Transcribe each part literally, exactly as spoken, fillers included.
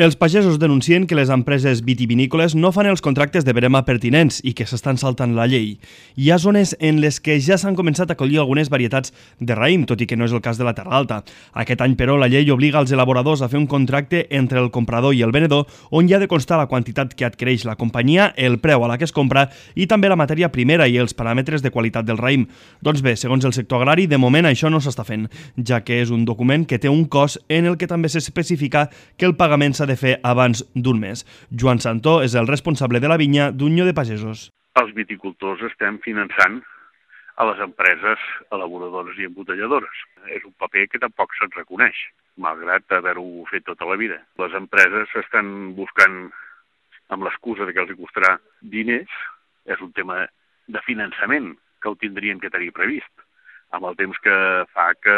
Els pagesos denuncien que les empreses vitivinícoles no fan els contractes de verema pertinents i que s'estan saltant la llei. Hi ha zones en les que ja s'han començat a collir algunes varietats de raïm, tot i que no és el cas de la Terra Alta. Aquest any, però, la llei obliga els elaboradors a fer un contracte entre el comprador i el venedor on hi ha de constar la quantitat que adquireix la companyia, el preu a la que es compra i també la matèria primera i els paràmetres de qualitat del raïm. Doncs bé, segons el sector agrari, de moment això no s'està fent, ja que és un document que té un cost en el que també s'especifica que el pagament s'ha de fer abans d'un mes. Joan Santó és el responsable de la vinya d'Unió de Pagesos. Els viticultors estem finançant a les empreses elaboradores i embotelladores. És un paper que tampoc se'n reconeix, malgrat haver-ho fet tota la vida. Les empreses estan buscant, amb l'excusa que els costarà diners, és un tema de finançament que ho tindrien que tenir previst, amb el temps que fa que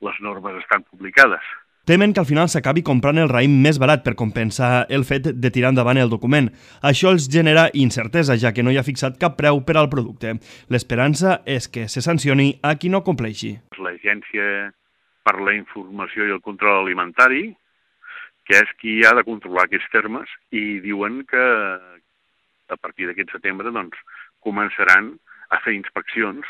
les normes estan publicades. Temen que al final s'acabi comprant el raïm més barat per compensar el fet de tirar endavant el document. Això els genera incertesa, ja que no hi ha fixat cap preu per al producte. L'esperança és que se sancioni a qui no compleixi. L'Agència per la Informació i el Control Alimentari, que és qui ha de controlar aquests termes, i diuen que a partir d'aquest setembre doncs, començaran a fer inspeccions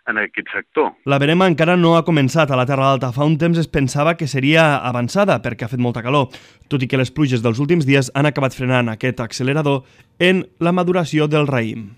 en aquest sector. La verema encara no ha començat a la Terra Alta. Fa un temps es pensava que seria avançada perquè ha fet molta calor, tot i que les pluges dels últims dies han acabat frenant aquest accelerador en la maduració del raïm.